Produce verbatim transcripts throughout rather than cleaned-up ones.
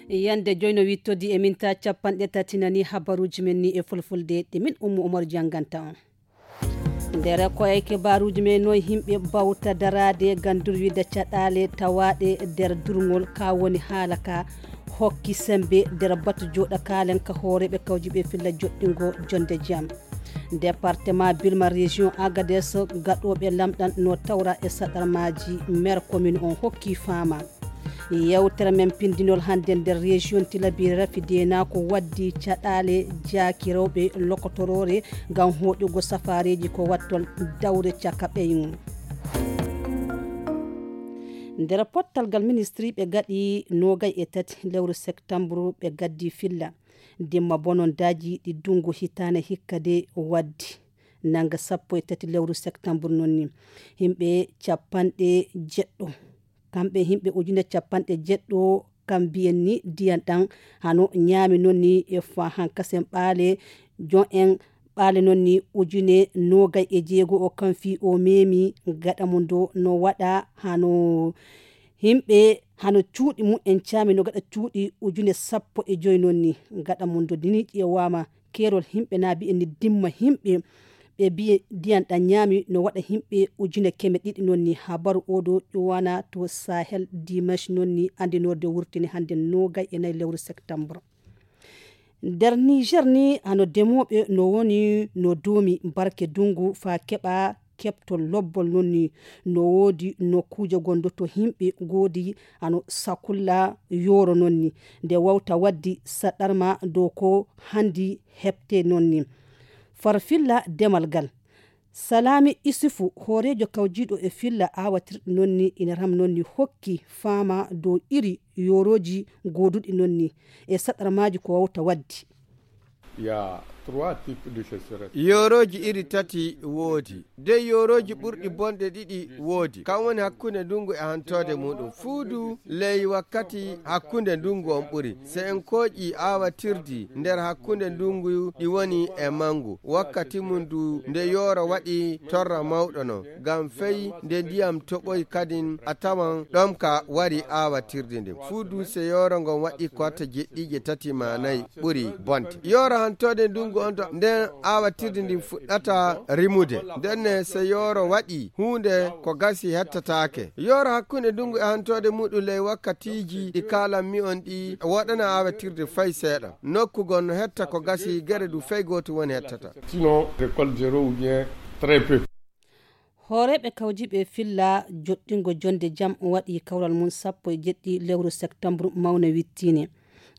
Yande joyno wittodi e minta capanɗe tati nani habaruji men ni e fulfulde ɗe min Ummu Umar janganta on. Nder koye kibaruji men noy himɓe bawta darade gam durwida caɗale tawaɗe nder durgol ka woni haala ka hokki sembe nder batu joɗa kalen ka hooreɓe kawjiɓe filla joɗɗingo jonde jam. Département Bilma, région Agadez, gaɗoɓe lamɗan no tawra e saɗarmaji. Maire commune on hokki fama. Yewtere men pindinol hande nder région Tilabiri rafi dena ko waddi caɗale jaaki rewɓe lokotorore ngam hoɗugo safareji ko wattol dawre caka ɓeygu. Nder pottal ngal ministri ɓe gaɗi nogay e tati lewru septembre ɓe gaddi filla dimma bonondaji ɗi dungu hitane hikka de waddi nanga sappo e tati lewru septembre noon ni. Himɓe capanɗe jeɗɗo kamɓe himɓe ujune capanɗe jeɗɗo kam mbiyen ni diyan ɗan hano ñaami noon ni e fa hankasen ɓaale jon en ɓaale noon ni ujune nogay e jeego o kam fi o memi gaɗa mum do no waɗa hano himɓe hano cuuɗi mumen caami no gaɗa cuuɗi ujune sappo e joyi noon ni gaɗa mum do dini ƴeewama keerol himɓe na mbiyen ni dimma himɓe ɓe mbiye ndiyan ɗan ñaami no waɗa himɓe ujune keme ɗiɗi noon ni habaru oɗo ƴuwana to sahel dimanche noon ni andinorde wurtini hande nogay e nayi lewru septembre. Nder niger ni hano demoɓe no woni no doomi barke dungu fa keɓa keɓtol lobbol noon ni no woodi nokkuuje gondoto himɓe goodi hano sakulla yoro noon ni nde wawta waddi saɗarma dow ko handi heɓte noon ni. Farfilla demal ngal. Salami Isufu, hooreejo kawjiiɗo e filla aawatirɗi noon ni ina ram noon ni hokki faama dow iri yoorooji gooduɗi noon ni e saɗarmaaji ko wawta waɗdi. Ya trois types de sécheresse. Yoorooji iri tati woodi. Dey yoorooji ɓurɗi bonɗe ɗiɗi woodi. Kam woni hakkunde ndungu e hantoode muɗum. Fuudu ley wakkati hakkunde ndungu on ɓuri. Se en kooƴi aawatirdi nder hakkunde ndungu ɗi woni e mangu. Wakkati mum du nde yooro waɗi torra mawɗo non. Ngam fey nde ndiyam toɓoy kadin a tawan ɗomka wari aawatirdi ndin. Fuudu se yooro ngon waɗi ko watta jeɗɗiije tati ma nayi ɓuri bonde. Yooro hantoode ndungu on to nden aawatirdi ndin fuɗɗata rimude. Ndenne se yooro waɗi huunde ko gasi hettataake. Yooro hakkunde ndungu e hantoode muɗum ley wakkatiiji ɗi kaalanmi on ɗi woɗana aawatirde fay seeɗa. Nokku gon no hetta ko gasi gere du fay gooto woni hettata. Sinon récolte zéro ou bien très peu. Hooreeɓe kawjiiɓe filla joɗɗingo jonde jam waɗi kawral mum sappo e jeɗɗi lewru septembre mawna wittine.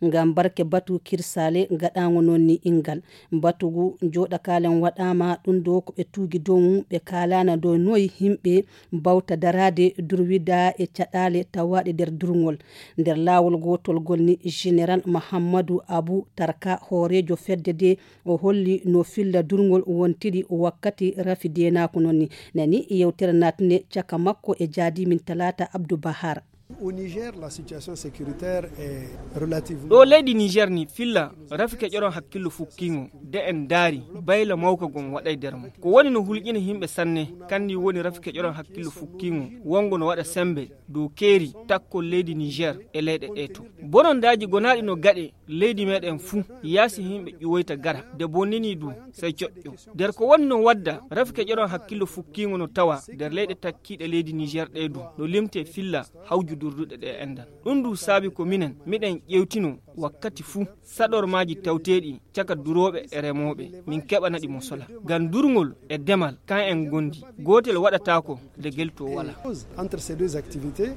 Ngam barke batu kirsale gaɗaango noon ni inngal. Batu ngu jooɗakaalen waɗaama ɗum ɗo ko ɓe tuugi dow mum ɓe kaalaana dow noy yimɓe mbawta daraade durwida e caɗaale tawaaɗe nder durngol. Nder laawol gootol ngol ni Général Mahammadu Abu Tarka hooreejo fedde de o holli no filla durngol wontiri wakkati rafi deenaaku noon ni. Nani yewtere naatune caka makko e jaadimin Talaata Abdu Bahar. Au Niger, la situation sécuritaire est relativement. Ɗo leydi Niger ni filla rafi keƴoron hakkillo fukkingo de en daari bayla mawka gon waɗay nder mo ko woni no hulƴina yimɓe sanne kandi woni rafi keƴoron hakkillo fukkingo wongo no waɗa sembe dow keeri takkol leydi Niger e leyɗe ɗe to. Bonondaaji gonaaɗi no gaɗe leydi meɗen fuu yaasi yimɓe ƴuwoyta gara de bonnini du sey coƴƴo. Nder ko woni no wadda rafi keƴoron hakkillo fukkingo no tawa nder leyɗe takkiiɗe leydi Niger ɗe du no limte filla hawju durduɗe ɗe endan. Ɗum du saabi ko minen miɗen ƴewtino wakkati fuu saɗormaaji tawteeɗi caka durooɓe e remooɓe min keɓana ɗi mosola. Ngam durngol e demal kan en ngondi gootel waɗataako de gelto wala. Entre ces deux activités.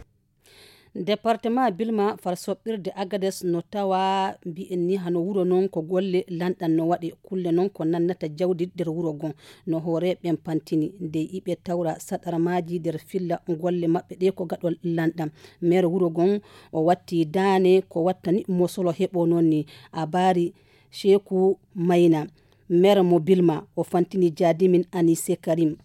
Département Bilma far soɓɓirde Agades no tawa mbiyen ni hano wuro non ko golle lanɗan no waɗe kulle non ko nannata jawdi nder wuro gon no hooreɓen pantini nde iɓe tawra saɗarmaji nder filla golle maɓɓe ɗe ko gaɗol lanɗan. Maire wuro gon o watti daane ko wattani mosolo heɓo non ni a bari sheku mayna. Maire mo Bilma o fantini jaadimin Anise Karim.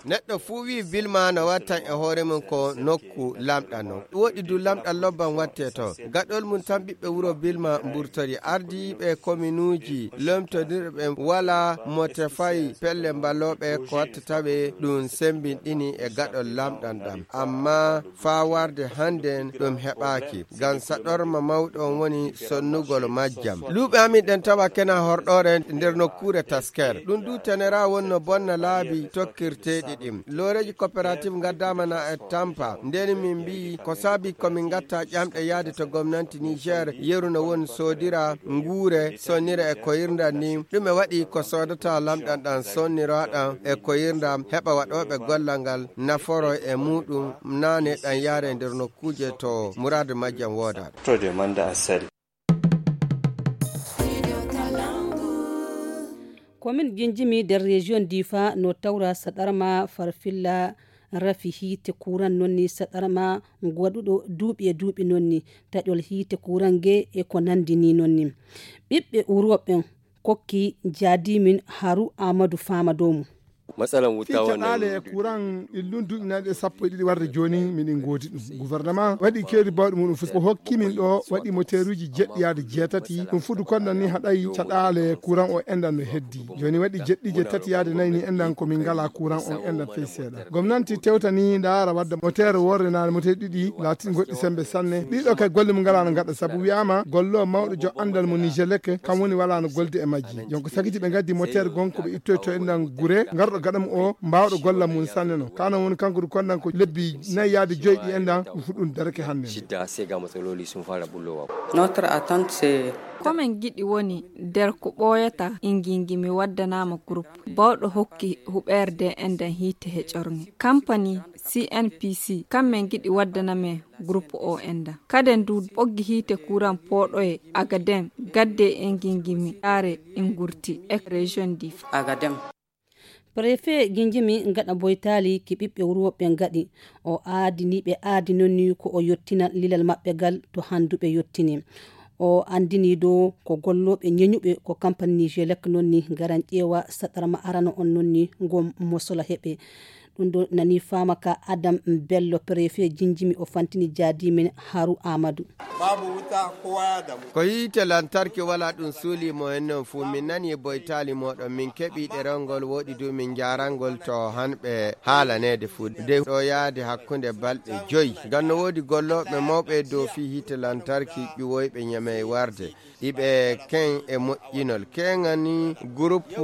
Neɗɗo fuu wi'i Bilma no wattan e hoore mum ko nokku lamɗam non. Woɗi du lamɗam lobban watte ton. Gaɗol mum tan ɓiɓɓe wuro Bilma mburtori. Ardiiɓe kominuuji lomtondirɓe ɓen walaa mo tefay pelle mbalooɓe ko watta tawe ɗum sembinɗini e gaɗol lamɗam ɗam. Ammaa faa warde hannden ɗum heɓaaki. Ngam saɗorma mawɗo on woni sonnugol majjam. Luuɓe amin ɗen tawa kena horɗoore nder nokkuure Tasker. Ɗum du tenera won no bonna laabi tokkirteeɗi ɗin. Looreeji coopérative ngaddaama na e tampa. Nden min mbi'i ko saabi ko min ngatta ƴamɗe yaade to gomnanti Niger yeru no won soodira nguure, sonnira e koyirndam ni. Ɗume waɗi ko soodata lamɗam ɗam sonniraaɗam e koyirndam heɓa waɗooɓe gollal ngal naforo e muɗum naane ɗam yaare nder nokkuuje to muraadu majjam woodaɗo. Komin Jinjimi nder région Difa no tawra saɗarma farfilla rafi hiite kuran nonni saɗarma waɗuɗo duuɓi e duuɓi nonni taƴol hiite kuran ge e ko nandi ni nonni. Ɓiɓɓe Uroɓen kokki jaadimin Haru Amadu Fama dow mum. Matsalan wuta wannan caɗaale e kuran illun duuɓi naaɗi e sappo e ɗiɗi warde jooni miɗen ngoodi ɗum. Gouvernement waɗi keeri bawɗi muɗum fof. Ko hokki min ɗo waɗi moteeruuji jeɗɗi yaade jeetati. Ɗum fuɗu kondan ni haɗay caɗaale kuran o endan no heddi. Jooni waɗi jeɗɗi je tati yaade nayi ni endan ko min ngala kuran on endan fey seeɗa. Gomnanti tewtani ndaara wadda moteer worre naane moteer ɗiɗi laatin goɗɗi sembe sanne. Ɗiɗo kay golle mum ngala no ngaɗa sabu wi'ama gollo mawɗo jo andal mo Nijelek kam woni wala no golde e majji. Jon ko sakiti ɓe ngaddi moteer gonko ɓe ittoyto endan gure ngarɗo gaɗam o mbawɗo golla mum sanne no. Kana woni kanko du kondan ko lebbi nayi yaade joyi ɗi endan ɗum fu ɗum darake hannde. Shidda sai ga matsaloli sun fara bullowa. Notre attente c'est Ko men giɗi woni nder ko ɓooyata ingingi mi waddanaama groupe. Bawɗo hokki huɓeerde endan hiite he ƴorŋe. Kampani C N P C, kam men giɗi waddana men groupe o endan. Kaden du ɓoggi hiite kuran pooɗoye Agadem, gadde e ingingi mi yaare ingurti e région Difa. Agadem. Préfet Jinjimi ngaɗa boytaali ki ɓiɓɓe wuro ɓe ngaɗi. O aadini ɓe aadi nonni ko o yottina lilal maɓɓe gal to handuɓe yottini. O andini dow ko gollooɓe ñeñuɓe ko kampani Nijelek nonni ngaran ƴeewa saɗarma arano on nonni ngom mosola heɓe. Ɗum ɗo nani faama ka Adam Bello, préfet Jinjimi, o fantini jaadimin Haru Amadu. Ko yiite lantarki wala ɗum suuli mo en non fuu. Min nani boytaali moɗon, min keɓi ɗerol ngol woɗi du min njarangol to hanɓe haalaneede fuu. De ɗo yaade hakkunde balɗe joyi. Ngam no woodi gollooɓe mawɓe dow fii hiite lantarki ƴuwoyɓe ñamey warde. Iɓe ken e moƴƴinol. Keŋani groupe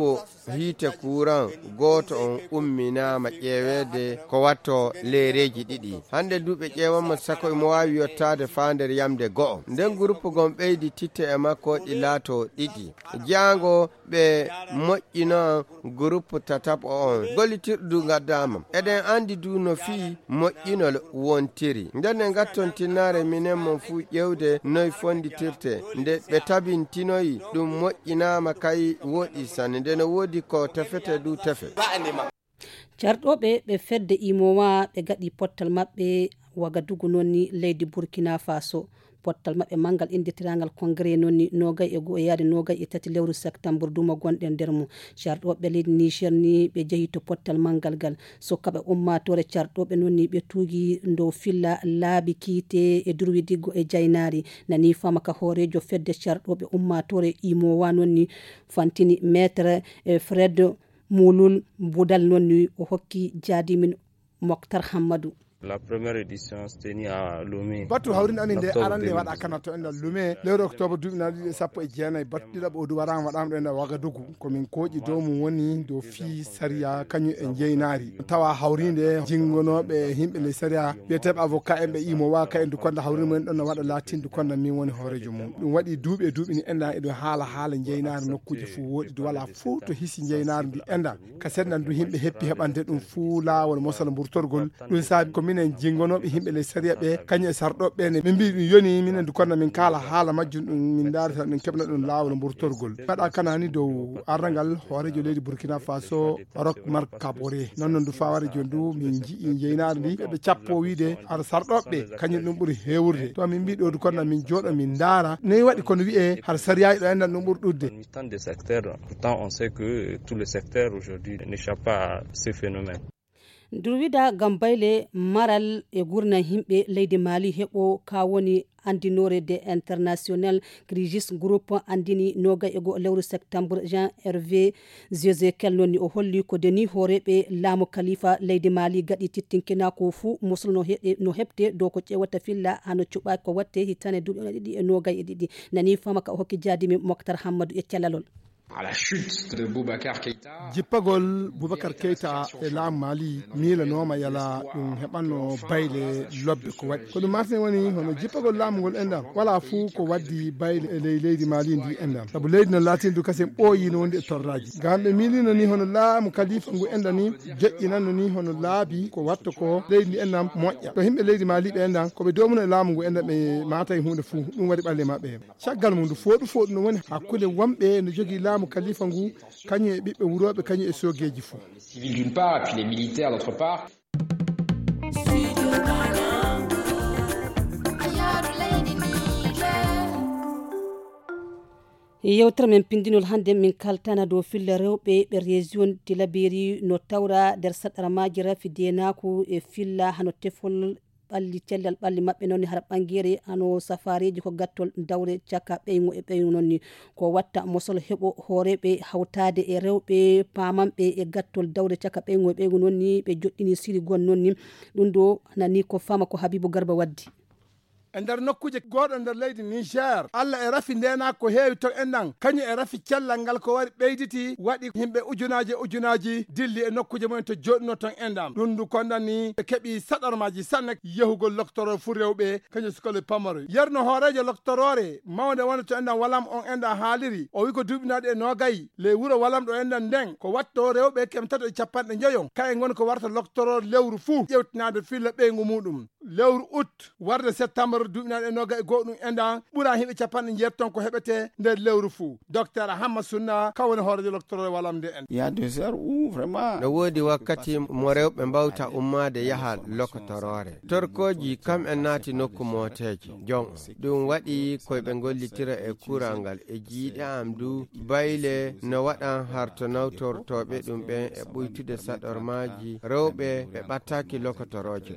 hiite kuran gooto on umminaama ƴeeweede ko watto leereeji ɗiɗi. Hannde du ɓe ƴeewama sako imo waawi yottaade faa nder yamde go'o. Nden groupe gon ɓeydi titte e makko ɗi laato ɗiɗi. Jaango ɓe moƴƴino groupe tataɓo on. Gollitirɗo du ngaddaama. Eɗen anndi du no fii moƴƴinol wontiri. Nden en ngatton tinnaare minen mon fuu ƴeewde noy fonditirte. Nde ɓe tabintinoyi ɗum moƴƴinaama kay woɗi sanne. Nde no woodi ko tefete du tefe. Carɗooɓe ɓe fedde imowa ɓe gaɗi pottal maɓɓe Wagadugu nonni leydi Burkina Faso. Pottal maɓɓe manngal innditirangal Congrès nonni nogay e go'o yaade nogay e tati lewru septembre duma gonɗen nder mum. Carɗooɓe leydi Niger ni ɓe jehi to pottal manngal gal. Sukkaɓe ummaatoore carɗooɓe nonni ɓe tuugi dow filla laabi kiite e durwidiggo e jaynaari. Nani fama ka hooreejo fedde carɗooɓe ummaatoore imowa nonni fantini maître, eh, Fred Mulul Budal nonni o hokki jaadimin Moktar Hammadu. La première édition se tenue à Lomé. Batu hawrinde amin nde arande waɗa kana to enɗan Lomé lewru octobre duuɓi naɗi ɗiɗi e sappo e jeenayi. Batu ɗiɗaɓo o du waraama waɗaama ɗo enɗan Wagadugu. Ko min kooƴi dow mum woni dow fii sariya kañum e njeynaari. Tawa hawrinde jingonooɓe yimɓe ley sariya wiyeteeɓe avocat en ɓe imo wa ka en du konda hawrinde mum en ɗon no waɗa laatin du konda min woni hooreejo mum. Ɗum waɗi duuɓi e duuɓi ni enɗan eɗum haala haala njeynaari nokkuuje fof woɗi du wala fof to hisi njeynaari ndi enɗan. Ka senɗan du yimɓe heppi heɓande ɗum fuu laawol mosal mburtorgol. Ɗum saabi ko Minen jinngonooɓe yimɓe ley sariya ɓe, kañum e sarɗooɓe ɓe ne, min mbii ɗum yoni, minen du konna min kaala haala majjum, ɗum min ndaari tan min keɓna ɗum laawol mburtorgol. Mbaɗa kanani dow arrangal hooreejo leydi Burkina Faso, Roch Marc Kabore. Non non du faware jooni du min nji'i jeynaare ndi, ɓe cappo wiide ara sarɗooɓe ɓe, kañum ɗum ɓuri heewrude. To min mbii ɗo du konna min jooɗo min ndaara. Noy waɗi kono wi'e har sariyaaji ɗo enɗan ɗum ɓuri ɗuɗde. Dans tant de secteurs, pourtant on sait que tout le secteur aujourd'hui n'échappe pas à ce phénomène. Durwida gam bayle maral e gurna yimɓe leydi Mali heɓo ka woni andinoore de international crisis group andini noga e go lewru septembre. Jean Hervé Zezekel nonni o holli ko deni hooreɓe laamu kalifa leydi Mali gaɗi tittinkina ko fu musul no he-, no heɓte dow ko ƴewata filla hano cuɓa ko watte hitane duuɓi ɗiɗi e noga e ɗiɗi. Nani fama ka o hokki jaadimi Moktar Hammadou e callalol. À la chute de Boubacar Keïta. Jippagol Boubacar Keïta e laamu Mali miilanooma yala ɗum heɓanno bayle lobbe ko waɗi. Ko ɗum martin woni hono jippagol laamu ngol enɗam. Wala fuu ko waddi bayle e ley leydi Mali ndi enɗam. Sabu leydi no laatindu kasen ɓooyi no wondi e torraji. Ngam ɓe miilino ni hono laamu kalifa ngu enɗam ni joƴƴinanno ni hono laabi ko watta ko leydi ndi enɗam moƴƴa. To himɓe leydi Mali ɓe enɗam ko ɓe domuno e laamu ngu enɗam ɓe maata e huunde fuu ɗum waɗi ɓalle maɓɓe. Caggal mum, ndu fooɗu fooɗu no woni hakkunde wonɓe no jogii laamu kalifa ngu, kañum e ɓiɓɓe wurooɓe, kañum e soogeeji fof. Civil d'une part, et puis les militaires d'autre part. Yewtere men pindinol hannde min kaltana dow filla rewɓe ɓe région Tilaberi no tawra nder saɗara maaji rafi denaaku e filla hano tefol ɓalli cellal ɓalli maɓɓe noon hara ɓangere hano safareeji ko gattol dawre caka ɓeygu e ɓeygu noon ni. Ko watta mosol heɓo hooreɓe hawtaade e rewɓe pamanɓe e gattol dawre caka ɓeygu e ɓeygu noon ni ɓe joɗɗini siri gon noon ni. Ɗum ɗo nani ko fama ko Habibu Garba waddi. E nder nokkuuje gooɗo nder leydi Niger, Allah e rafi ndeena ko heewi ton enɗan, kañum e rafi cellal ngal ko wari ɓeyditi, waɗi yimɓe ujunaaji e ujunaaji dilli e nokkuuje mumen to jooɗino ton enɗan. Ɗum ndu kondani ɓe keɓi saɗarmaaji sanne yahugol loktoro fu rewɓe, kañum sukole pamaro. Yerno hooreejo loktoroore mawnde wonde to enɗan Walam on enɗan haaliri, o wi ko duuɓinaaɗi e noogay ley wuro Walam ɗo enɗan nden, ko watto rewɓe kem tato e capanɗe njoyo, kaye ngon ko warta loktoro lewru fuu, ƴewtinaade filla ɓeyngu muɗum. Lewru ut warde septembre duuɓinaaɗe noga e goo ɗum enɗan ɓura himɓe capanɗe jeetati ton ko heɓete nder lewru fuu. Docteur Hamma Sunna ka woni hoorejo loktoro walam nde en. Il y a des heures où vraiment no woodi wakkati mo rewɓe mbawta ummaade yaha lokotoroore. Torkooji kam en naati nokku mooteeji jon. Ɗum waɗi koyɓe ngollitira e kuural ngal e jiiɗe am du bayle no waɗan harto nawtortooɓe ɗum ɓen e ɓuytude saɗormaaji rewɓe ɓe ɓattaaki lokotorooje.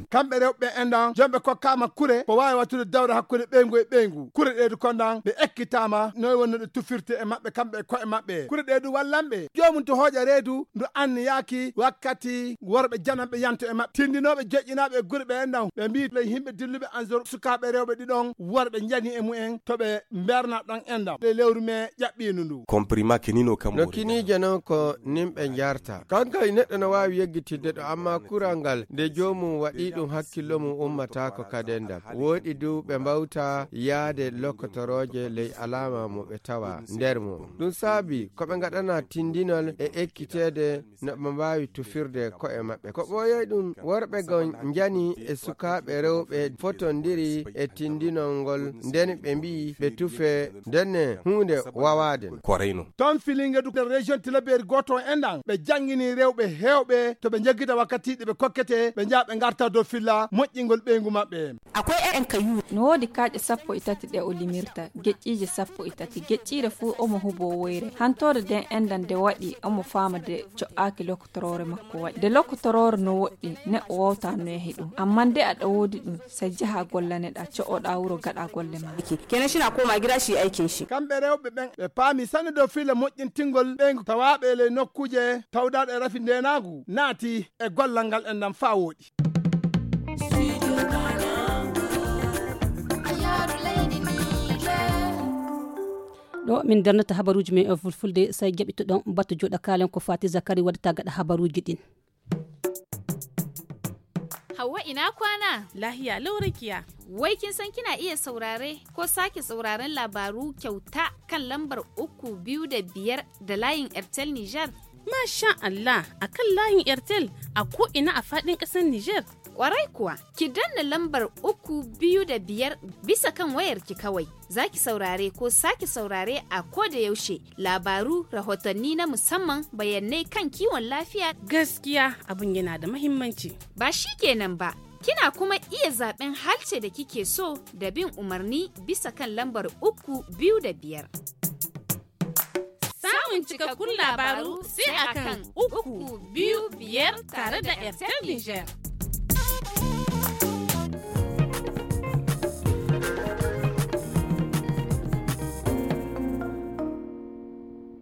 Kamɓe rewɓe ɓe enɗan jomɓe kokkaama kure ko waawi wattude dawre hakkunde ɓeyngu e ɓeyngu. Kure ɗee du konɗan ɓe ekkitaama noy wonno ɗe tufirte e maɓɓe kamɓe e koye maɓɓe. Kure ɗee du wallanɓe joomum to hooƴa reedu ndu anniyaaki wakkati worɓe jananɓe yanto e maɓɓe tindinooɓe joƴƴinaaɓe e gure ɓe enɗan ɓe mbii ley yimɓe dilluɓe anzor sukaaɓe rewɓe ɗiɗon worɓe njani e mumen to ɓe mberna ɗon enɗan ɗe lewru me ƴaɓɓiindu ndu. Comprimé kinino kam no kiniije non ko nimɓe njarta. Kanka e neɗɗo no waawi yeggitidde ɗo amma kural ngal nde joomum waɗi ɗum hakkillo mum ummataako kadi e ndam. Wooɗi du ɓe mbawta yaade lokotorooje ley alaama mo ɓe tawa nder mum. Ɗum saabi ko ɓe ngaɗana tindinol e ekkiteede no ɓe mbaawi tufirde ko'e maɓɓe. Ko ɓooyay ɗum worɓe gon njani e sukaaɓe rewɓe fotondiri e tindinol ngol nden ɓe mbii ɓe tufe ndenne huunde wawaade. Ko reyno. Ton filinge du nder région Tilaberi gooto enɗan ɓe janngini rewɓe heewɓe to ɓe njeggita wakkatiiɗe ɓe kokkete ɓe njaha ɓe ngarta dow filla moƴƴingol ɓeyngu maɓɓe. Akwai ƴaƴan kayu. No woodi kaaƴe sappo e tati ɗe o limirta geƴƴiije sappo e tati geƴƴiire fuu omo huboo woyre. Hantoode nden enɗan nde waɗi omo faama de co'aaki lokotoroore makko waɗi nde lokotoroore no woɗɗi neɗɗo wawta no yahi ɗum amma nde aɗa woodi ɗum sey jaha gollaneɗa co'oɗa wuro gaɗa golle ma. Kenan shina koma gida shi aikin shi. Kamɓe rewɓe ɓen ɓe paami sanne dow filla moƴƴintingol ɓeyngu tawaaɓe e ley nokkuuje tawdaaɗe e rafi ndeenaagu naati e gollal ngal enɗan faa wooɗi. Ɗo min darnata habaruuji men e fulfulde, so jaɓitoɗon batu joɗa kalen ko Fati Zakari waɗata gaɗa habaruuji ɗin. Hauwa, ina kwana? Lahiya lau, Rakiya. Wai kin san kina iya saurare ko sake sauraren labaru kyauta kan lambar uku biyu da biyar da layin Airtel Niger? Masha Allah, a kan layin Airtel a ko'ina a faɗin ƙasar Nijar? Ƙwarai kuwa, ki danna lambar uku biyu da biyar bisa kan wayarki kawai. Za ki saurare ko sake saurare a ko da yaushe labaru, rahotanni na musamman, bayanai kan kiwon lafiya. Gaskiya abin yana da mahimmanci. Ba shi kenan ba, kina kuma iya zaɓen halce da kike so da bin umarni bisa kan lambar uku biyu da biyar. Samun cikakkun labaru sai a kan uku biyu biyar tare da Airtel Niger.